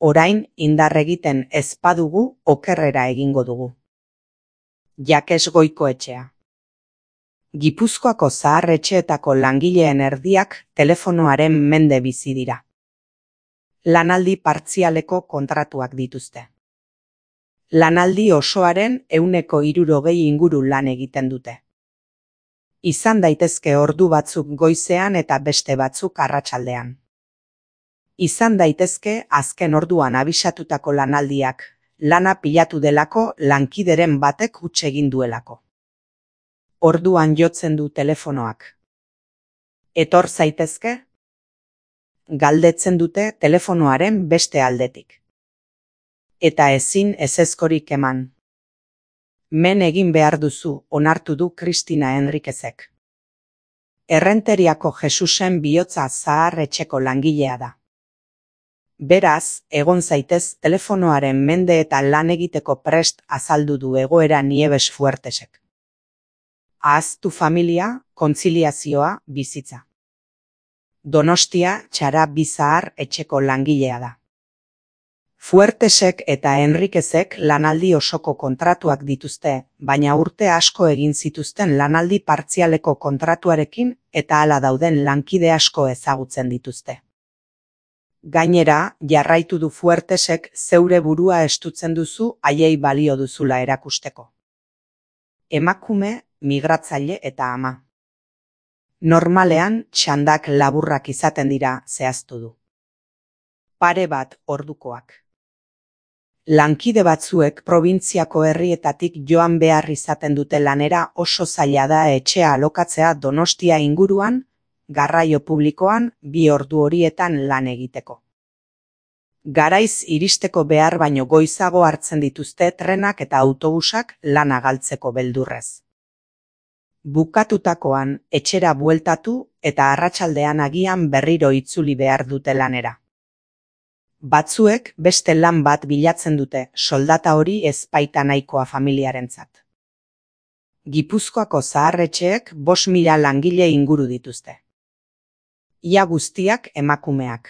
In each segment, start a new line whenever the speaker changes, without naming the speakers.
Orain indar egiten ez badugu okerrera egingo dugu. Jakes Goikoetxea. Gipuzkoako zahar-etxeetako langileen erdiak telefonoaren mende bizi dira. Lanaldi partzialeko kontratuak dituzte. Lanaldi osoaren 60% inguru lan egiten dute. Izan daitezke ordu batzuk goizean eta beste batzuk arratsaldean. Izan daitezke azken orduan abisatutako lanaldiak, lana pilatu delako lankideren batek huts egin duelako. Orduan jotzen du telefonoak. Etor zaitezke? Galdetzen dute telefonoaren beste aldetik. Eta ezin ezezkorik eman. Men egin behar duzu, onartu du Kristina Enriquezek. Errenteriako Jesusen bihotza zahar-etxeko langilea da. Beraz, egon zaitez telefonoaren mende eta lan egiteko prest azaldu du egoera Nieves Fuertesek. Ahaztu familia, kontziliazioa, bizitza. Donostia txara bizahar etxeko langilea da. Fuertesek eta Enriquezek lanaldi osoko kontratuak dituzte, baina urte asko egin zituzten lanaldi partzialeko kontratuarekin eta hala dauden lankide asko ezagutzen dituzte. Gainera, jarraitu du Fuertesek zeure burua estutzen duzu haiei balio duzula erakusteko. Emakume, migratzaile eta ama. Normalean, txandak laburrak izaten dira zehaztu du. Pare bat ordukoak. Lankide batzuek probintziako herrietatik joan behar izaten dute lanera oso zaila da etxea alokatzea Donostia inguruan, garraio publikoan 2 ordu horietan lan egiteko. Garaiz iristeko behar baino goizago hartzen dituzte trenak eta autobusak lana galtzeko beldurrez. Bukatutakoan etxera bueltatu eta arratsaldean agian berriro itzuli behar dute lanera. Batzuek beste lan bat bilatzen dute, soldata hori ez baita nahikoa familiarentzat. Gipuzkoako zahar-etxeek 5.000 langile inguru dituzte. Ia guztiak emakumeak.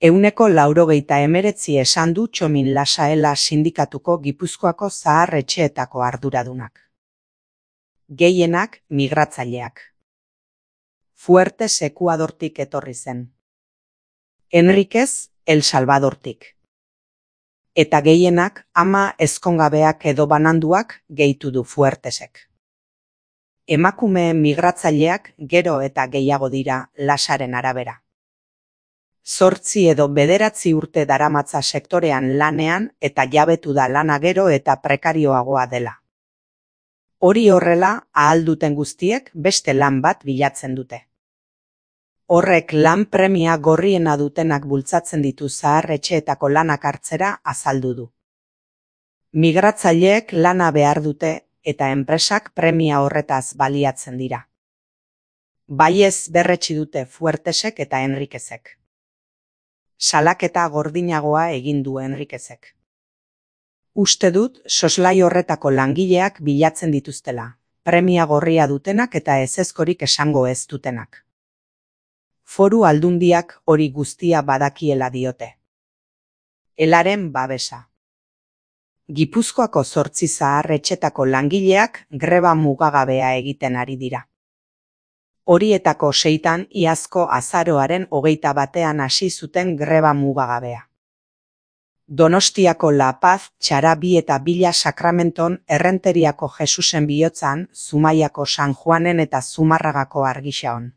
189 esan du Txomin Lasaela sindikatuko Gipuzkoako zahar-etxeetako arduradunak. Gehienak migratzaileak. Fuertes Ekuadortik etorri zen. Enriquez El Salvadortik. Eta gehienak ama ezkongabeak edo bananduak gehitu du Fuertesek. Emakumeen migratzaileak gero eta gehiago dira Lasaren arabera. 8 edo 9 urte daramatza sektorean lanean eta jabetu da lana gero eta prekarioagoa dela. Hori horrela, ahal duten guztiek beste lan bat bilatzen dute. Horrek lan premia gorriena dutenak bultzatzen ditu zahar-etxeetako lanak hartzera azaldu du. Migratzaileek lana behar dute eta enpresak premia horretaz baliatzen dira. Baiez berretsi dute Fuertesek eta Enriquezek. Salaketa gordinagoa egin du Enriquezek. Uste dut soslai horretako langileak bilatzen dituztela, premia gorria dutenak eta ezezkorik esango ez dutenak. Foru aldundiak hori guztia badakiela diote. Elaren babesa. Gipuzkoako 8 zahar-etxetako langileak greba mugagabea egiten ari dira. Horietako 6 iazko azaroaren 21 hasi zuten greba mugagabea. Donostiako La Paz, Txarabi eta Villa Sakramenton, Errenteriako Jesusen bihotzan, Zumaiako San Juanen eta Zumarragako Argixaon.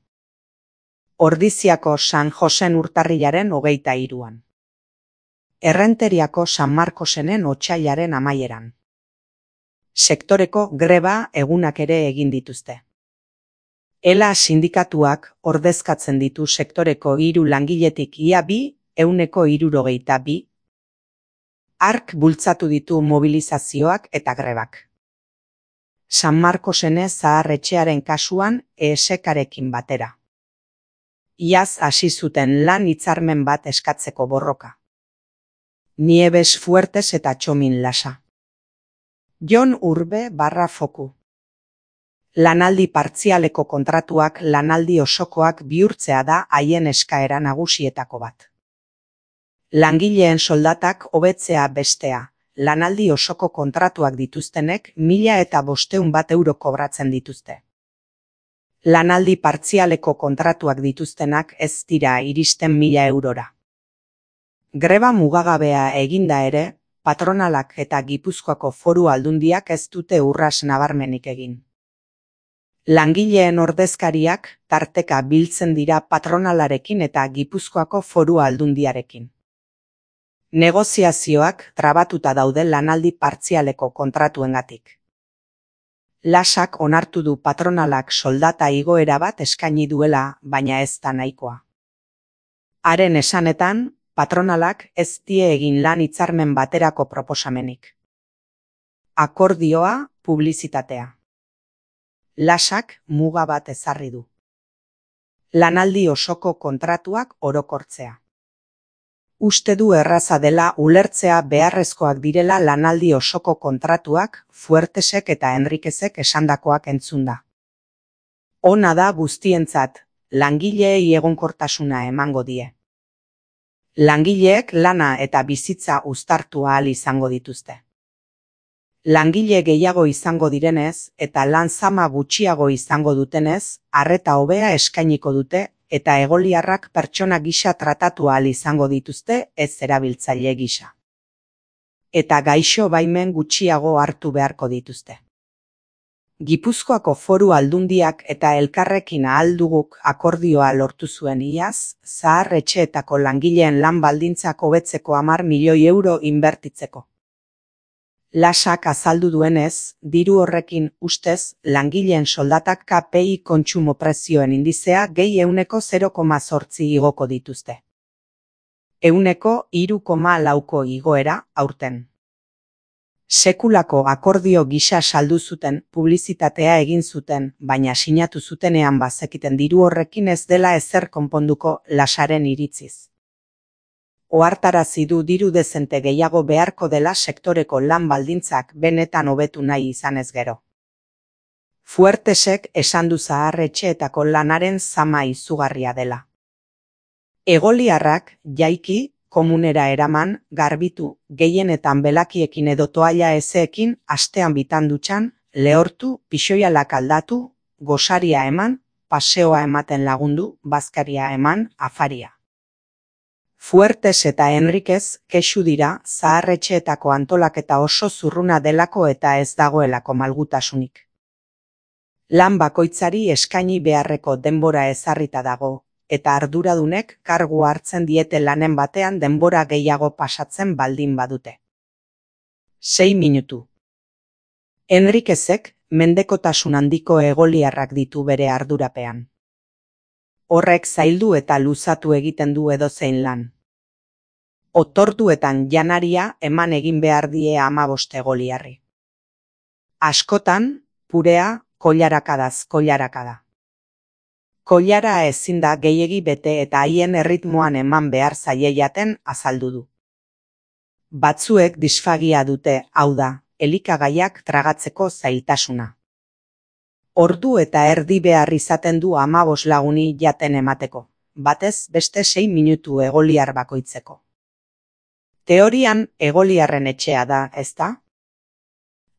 Ordiziako San Josen urtarrilaren 23an. Errenteriako San Markosenen otsailaren amaieran. Sektoreko greba egunak ere egin dituzte. Ela sindikatuak ordezkatzen ditu sektoreko 3 langiletik ia 2,62. Ark bultzatu ditu mobilizazioak eta grebak. San Markosene zahar-etxearen kasuan ESK-arekin batera. Iaz hasi zuten lan hitzarmen bat eskatzeko borroka. Nieves Fuertes eta Txomin Lasa. Jon Urbe /Foku. Lanaldi partzialeko kontratuak lanaldi osokoak bihurtzea da haien eskaera nagusietako bat. Langileen soldatak hobetzea bestea, lanaldi osoko kontratuak dituztenek 1.500 euro kobratzen dituzte. Lanaldi partzialeko kontratuak dituztenak ez dira iristen 1.000 eurora. Greba mugagabea eginda ere, patronalak eta Gipuzkoako Foru Aldundiak ez dute urras nabarmenik egin. Langileen ordezkariak tarteka biltzen dira patronalarekin eta Gipuzkoako Foru Aldundiarekin. Negoziazioak trabatuta daude lanaldi partzialeko kontratuengatik. Lasak onartu du patronalak soldata igoera bat eskaini duela, baina ez da nahikoa. Haren esanetan, patronalak ez die egin lan hitzarmen baterako proposamenik. Akordioa, publizitatea. Lasak muga bat ezarri du. Lanaldi osoko kontratuak orokortzea. Uste du erraza dela ulertzea beharrezkoak direla lanaldi osoko kontratuak Fuertesek eta Henriquezek esandakoak entzunda. Ona da guztientzat, langileei egonkortasuna emango die. Langileek lana eta bizitza uztartu ahal izango dituzte. Langile gehiago izango direnez eta lan zama gutxiago izango dutenez, arreta hobea eskainiko dute eta egoliarrak pertsona gisa tratatu ahal izango dituzte ez erabiltzaile gisa. Eta gaixo baimen gutxiago hartu beharko dituzte. Gipuzkoako Foru Aldundiak eta elkarrekin ahal duguk akordioa lortu zuen iaz, zahar etxeetako langileen lan baldintzak hobetzeko 10 milioi euro inbertitzeko. Lasak azaldu duenez, diru horrekin ustez langileen soldatak KPI kontsumo prezioen indizea gehi 0,8 igoko dituzte. 3,4 igoera aurten. Sekulako akordio gisa saldu zuten, publizitatea egin zuten, baina sinatu zutenean bazekiten diru horrekin ez dela ezer konponduko Lasaren iritziz. Ohartarazi du diru dezente gehiago beharko dela sektoreko lan baldintzak benetan hobetu nahi izanez gero. Fuertesek esan du zahar etxeetako lanaren zama izugarria dela. Egoliarrak jaiki, komunera eraman, garbitu, gehienetan belakiekin edo toalla ezeekin, astean bitan dutxan, lehortu, pixoialak aldatu, gosaria eman, paseoa ematen lagundu, bazkaria eman, afaria. Fuertes eta Henriquez kexu dira zaharretxeetako antolaketa oso zurruna delako eta ez dagoelako malgutasunik. Lan bakoitzari eskaini beharreko denbora ezarrita dago, eta arduradunek kargu hartzen diete lanen batean denbora gehiago pasatzen baldin badute. 6 minutu. Henriquezek mendekotasun handiko egoliarrak ditu bere ardurapean. Horrek zaildu eta luzatu egiten du edozein lan. Otorduetan janaria eman egin behar die 15 egoliarri. Askotan, purea, koilarakadaz koilarakada. Koilara ezin da gehiegi bete eta haien erritmoan eman behar zaie jaten azaldu du. Batzuek disfagia dute, hau da, elikagaiak tragatzeko zailtasuna. Ordu eta erdi behar izaten du 15 laguni jaten emateko, batez beste 6 minutu egoliar bakoitzeko. Teorian egoliarren etxea da, ezta?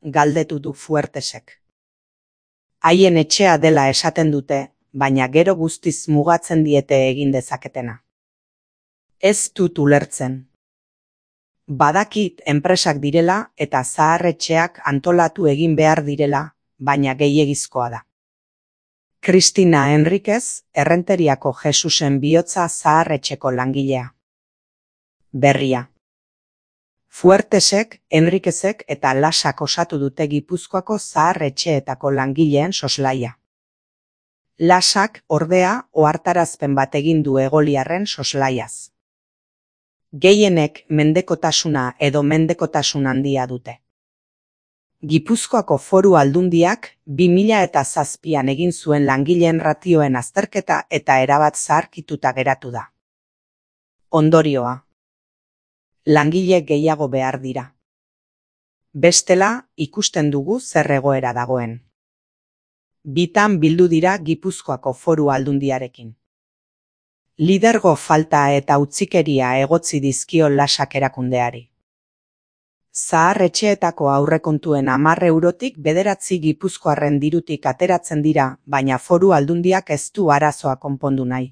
Galdetu du Fuertesek. Haien etxea dela esaten dute, baina gero guztiz mugatzen diete egin dezaketena. Ez dut ulertzen. Badakit enpresak direla eta zaharretxeak antolatu egin behar direla, baina gehiegizkoa da. Cristina Henriquez, Errenteriako Jesusen bihotza zaharretxeko langilea. Berria. Fuertesek, Henriquezek eta Lasak osatu dute Gipuzkoako zaharretxeetako langileen soslaia. Lasak, ordea, ohartarazpen bat egin du egoliarren soslaiaz. Gehienek mendekotasuna edo mendekotasun handia dute. Gipuzkoako Foru Aldundiak 2007an egin zuen langileen ratioen azterketa eta erabat zaharkituta geratu da. Ondorioa. Langile gehiago behar dira. Bestela, ikusten dugu zer egoera dagoen. Bitan bildu dira Gipuzkoako Foru Aldundiarekin. Lidergo falta eta utzikeria egotzi dizkio Lasak erakundeari. Zahar etxeetako aurrekontuen 10 eurotik 9 gipuzkoarren dirutik ateratzen dira, baina Foru Aldundiak ez du arazoa konpondu nahi.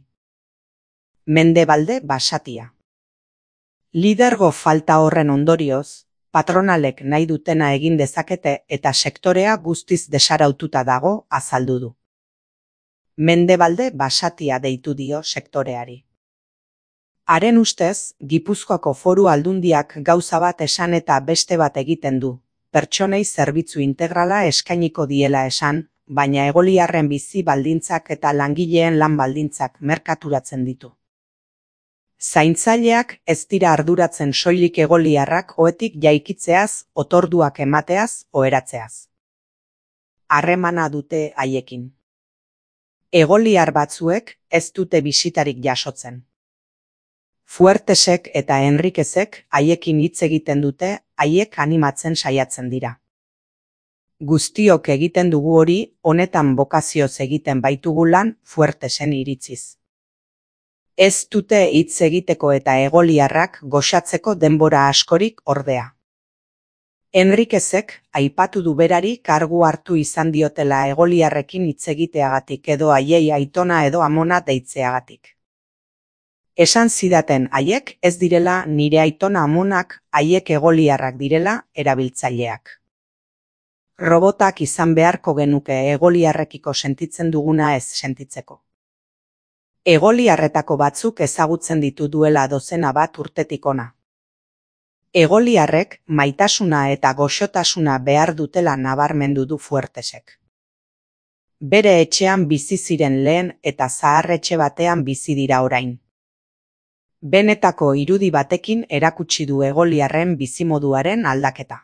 Mendebalde Basatia. Lidergo falta horren ondorioz, patronalek nahi dutena egin dezakete eta sektorea guztiz desaraututa dago, azaldu du. Mendebalde Basatia deitu dio sektoreari. Haren ustez, Gipuzkoako Foru Aldundiak gauza bat esan eta beste bat egiten du. Pertsonei zerbitzu integrala eskainiko diela esan, baina egoliarren bizi baldintzak eta langileen lan baldintzak merkaturatzen ditu. Zaintzaileak ez dira arduratzen soilik egoliarrak ohetik jaikitzeaz, otorduak emateaz, oheratzeaz. Harremana dute haiekin. Egoliar batzuek ez dute bisitarik jasotzen. Fuertesek eta Enriquezek haiekin hitz egiten dute, haiek animatzen saiatzen dira. Guztiok egiten dugu hori, honetan bokazioz egiten baitugu lan, Fuertesen iritziz. Ez dute hitz egiteko eta egoliarrak goxatzeko denbora askorik ordea. Enriquezek aipatu du berari kargu hartu izan diotela egoliarrekin hitz egiteagatik edo haiei aitona edo amona deitzeagatik. Esan zidaten haiek ez direla nire aitona amonak, haiek egoliarrak direla erabiltzaileak. Robotak izan beharko genuke egoliarrekiko sentitzen duguna ez sentitzeko. Egoliarretako batzuk ezagutzen ditu duela dozena bat urtetik ona. Egoliarrek maitasuna eta goxotasuna behar dutela nabarmendu du Fuertesek. Bere etxean bizi ziren lehen eta zahar etxe batean bizi dira orain. Benetako irudi batekin erakutsi du egoliarren bizimoduaren aldaketa.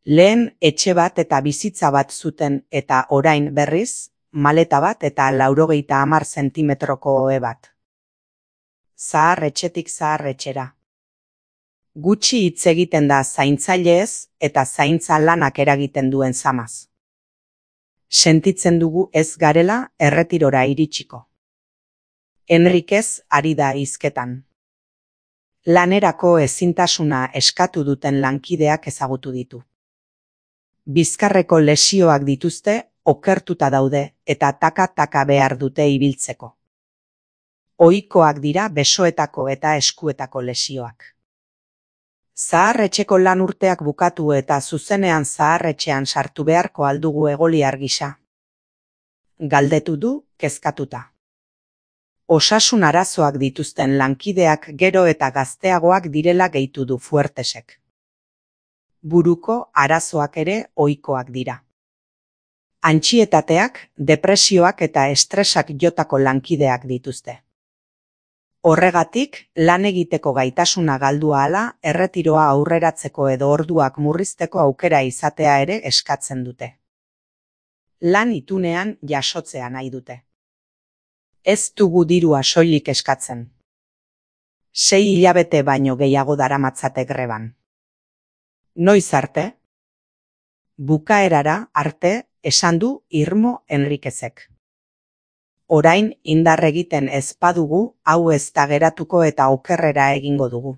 Lehen etxe bat eta bizitza bat zuten eta orain berriz, maleta bat eta 90 zentimetroko ohe bat. Zahar etxetik zahar etxera. Gutxi hitz egiten da zaintzaileez eta zaintza lanak eragiten duen zamaz. Sentitzen dugu ez garela erretirora iritsiko. Enriquez ari da hizketan. Lanerako ezintasuna eskatu duten lankideak ezagutu ditu. Bizkarreko lesioak dituzte, okertuta daude eta taka-taka behar dute ibiltzeko. Ohikoak dira besoetako eta eskuetako lesioak. Zaharretxeko lan urteak bukatu eta zuzenean zaharretxean sartu beharko aldugu egoliar gisa. Galdetu du, kezkatuta. Osasun arazoak dituzten lankideak gero eta gazteagoak direla gehitu du Fuertesek. Buruko arazoak ere ohikoak dira. Antsietateak, depresioak eta estresak jotako lankideak dituzte. Horregatik, lan egiteko gaitasuna galdu ahala, erretiroa aurreratzeko edo orduak murrizteko aukera izatea ere eskatzen dute. Lan itunean jasotzea nahi dute. Ez dugu dirua soilik eskatzen. 6 hilabete baino gehiago daramatzate greban. Noiz arte? Bukaerara arte, esan du Irmo Enriquezek. Orain indar egiten ez badugu, hau ez da geratuko eta okerrera egingo dugu.